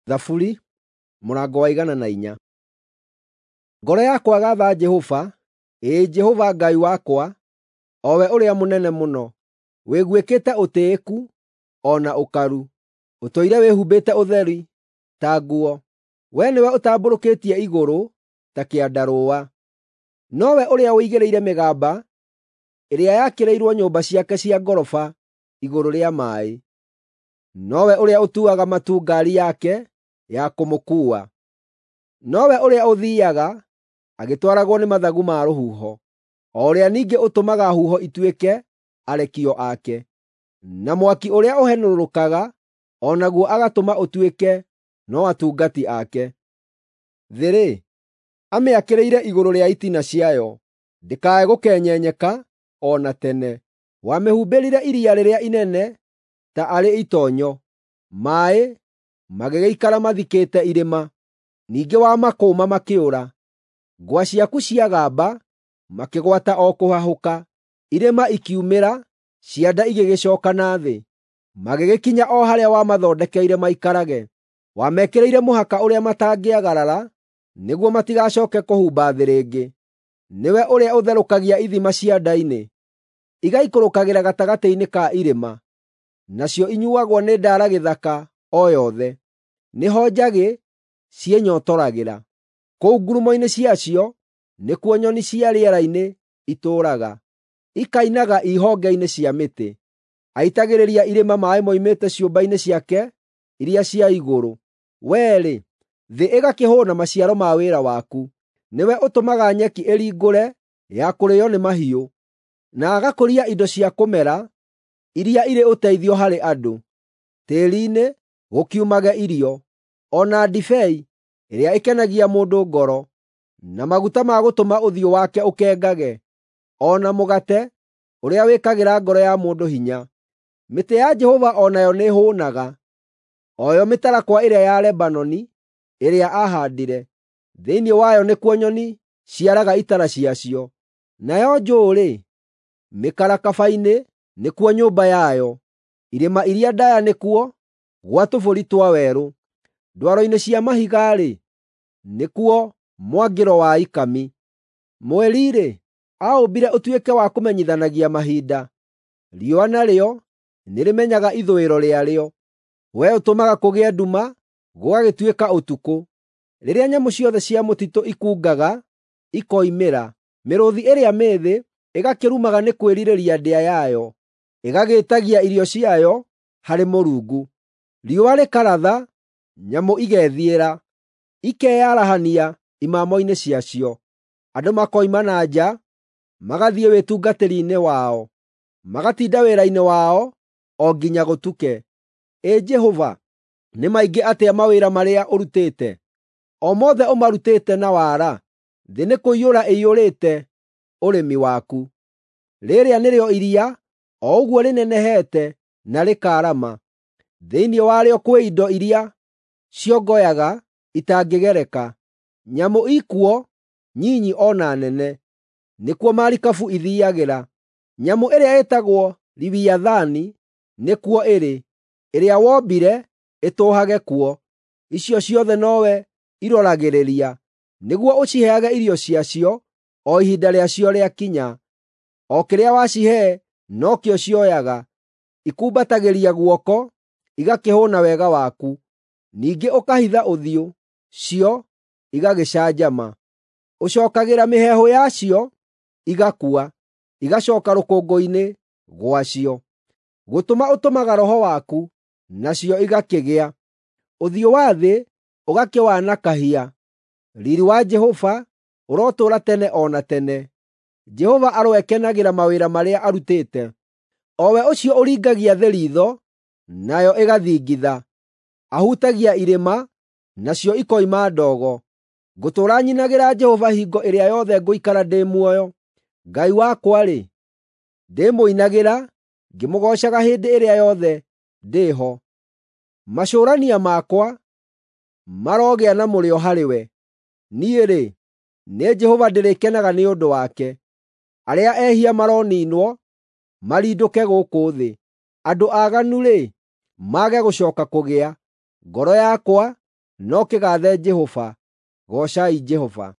Thaburi mũrango wa 104. Ngoro yakwa gatha Jehova, ĩĩ Jehova Ngai wakwa, o we ũrĩa mũnene mũno. Wĩguĩkĩte ũtĩĩku o na ũkaru, ũtũire wĩhumbĩte ũtheri ta nguo. Wee nĩwe ũtambũrũkĩtie igũrũ ta kĩandarũa. Nowe ũrĩa ũigĩrĩire mĩgamba ĩrĩa yakĩrĩirwo nyũmba ciake cia ngoroba igũrũ rĩa maaĩ. Nowe ũrĩa ũtuaga matu ngaari yake ya kũmũkuua. Nowe ũrĩa ũthiiaga agĩtwaragwo nĩ mathagu ma rũhuho, o ũrĩa ningĩ ũtũmaga huho ituĩke arekio ake, na mwaki ũrĩa ũhenũrũrũkaga o naguo agatũma ũtuĩke no atungati ake. Thĩ-rĩ, amĩakĩrĩire igũrũ rĩa itina ciayo, ndĩkae gũkenyenyeka o na tene. Wamĩhumbĩrire iria rĩrĩa inene ta arĩ itoonyo, maaĩ magĩgĩikara mathikĩte irĩma. Ningĩ wamakũũma makĩũra. Ngwa ciaku ciagamba, makĩgwata o kũhahũka. Irĩma ikiumĩra, cianda igĩgĩcooka na thĩ. Magĩgĩkinya o harĩa wamathondekeire maikarage. Wamekĩrĩire mũhaka ũrĩa matangĩagarara, nĩguo matigacooke kũhumba thĩ rĩngĩ. Nĩwe ũrĩa ũtherũkagia ithima cianda-inĩ, igaikũrũkagĩra gatagatĩ-inĩ ka irĩma. Nacio inyuuagwo nĩ ndaara gĩthaka o yothe. Nĩho njagĩ ciĩnyootoragĩra. Kũu ngurumo-inĩ ciacio nĩkuo nyoni cia rĩera-inĩ itũũraga, ikainaga i honge-inĩ cia mĩtĩ. Aitagĩrĩria irĩma maaĩ moimĩte ciũmba-inĩ ciake iria cia igũrũ. Wee-rĩ, thĩ ĩgakĩhũũna maciaro ma wĩra waku. Nĩwe ũtũmaga nyeki ĩringũre ya kũrĩĩo nĩ mahiũ, na agakũria indo cia kũmera iria irĩ ũteithio harĩ andũ. Tĩĩri-inĩ gũkiumage irio, o na ndibei ĩrĩa ĩkenagia mũndũ ngoro, na maguta ma gũtũma ũthiũ wake ũkengage, o na mũgate ũrĩa wĩkagĩra ngoro ya mũndũ hinya. Mĩtĩ ya Jehova o nayo nĩĩhũũnaga, o yo mĩtarakwa ĩrĩa ya Lebanoni ĩrĩa aahaandire. Thĩinĩ wayo nĩkuo nyoni ciaraga itara ciacio, nayo njũũ-rĩ, mĩkarakaba-inĩ nĩkuo nyũmba yayo. Irĩma iria ndaaya nĩkuo gwa tũbũri twa werũ. Ndwaro-inĩ cia mahiga-rĩ, nĩkuo mwangĩro wa ikami. Mweri-rĩ, aũmbire ũtuĩke wa kũmenyithanagia mahinda. Riũa narĩo nĩrĩmenyaga ithũĩro rĩarĩo. Wee ũtũmaga kũgĩe nduma, gũgagĩtuĩka ũtukũ. Rĩrĩa nyamũ ciothe cia mũtitũ ikungaga ikoimĩra, mĩrũũthi ĩrĩa mĩĩthĩ ĩgakĩrumaga nĩ kwĩrirĩria ndĩa yayo, ĩgagĩĩtagia irio ciayo harĩ Mũrungu. Riũa rĩkaratha, nyamũ igethiĩra, ikeyarahania imamo-inĩ ciacio. Andũ makoima na nja, magathiĩ wĩtungatĩri-inĩ wao, magatinda wĩra-inĩ wao o nginya gũtuke. Ĩ Jehova, nĩ maingĩ atĩa mawĩra marĩa ũrutĩte! O mothe ũmarutĩte na wara. Thĩ nĩkũiyũra ĩiyũrĩte ũrĩmi waku. Rĩrĩa nĩrĩo iria, o ũguo rĩnenehete na rĩkaarama. Thĩinĩ warĩo kwĩ indo iria ciongoyaga itangĩgereka. Nyamũ ikuo nyinyi o na nene. Nĩkuo marikabu ithiiagĩra. Nyamũ ĩrĩa ĩtagwo Liwiathani nĩkuo ĩrĩ, ĩrĩa wombire ĩtũũhage kuo. Icio ciothe nowe iroragĩrĩria, nĩguo ũciheage irio ciacio o ihinda rĩacio rĩakinya. O kĩrĩa wacihe nokĩo cioyaga. Ikumbatagĩria guoko, igakĩhũũna wega waku. Ningĩ ũkahitha ũthiũ, cio igagĩcanjama. Ũcookagĩra mĩheehũ yacio, igakua, igacooka rũkũngũ-inĩ gwacio. Gũtũma ũtũmaga Roho waku, nacio igakĩgĩa. Ũthiũ wa thĩ ũgakĩwanakahia. Riiri wa Jehova ũrotũũra tene o na tene. Jehova aroekenagĩra mawĩra marĩa arutĩte, o we ũcio ũringagia thĩ riitho, nayo ĩgathingitha. Ahutagia irĩma, nacio ikoima ndogo. Ngũtũũra nyinagĩra Jehova hingo ĩrĩa yothe ngũikara ndĩ muoyo. Ngai wakwa-rĩ, ndĩmũinagĩra ngĩmũgoocaga hĩndĩ ĩrĩa yothe ndĩ ho. Macũrania makwa marogĩa na mũrĩo harĩwe. Niĩ-rĩ, nĩ Jehova ndĩrĩkenaga nĩ ũndũ wake. Arĩa ehia maroniinwo, marindũke gũkũ thĩ. Andũ aaganu-rĩ, mage gũcooka kũgĩa. Ngoro yakwa no kĩgaathe Jehova. Goocai Jehova.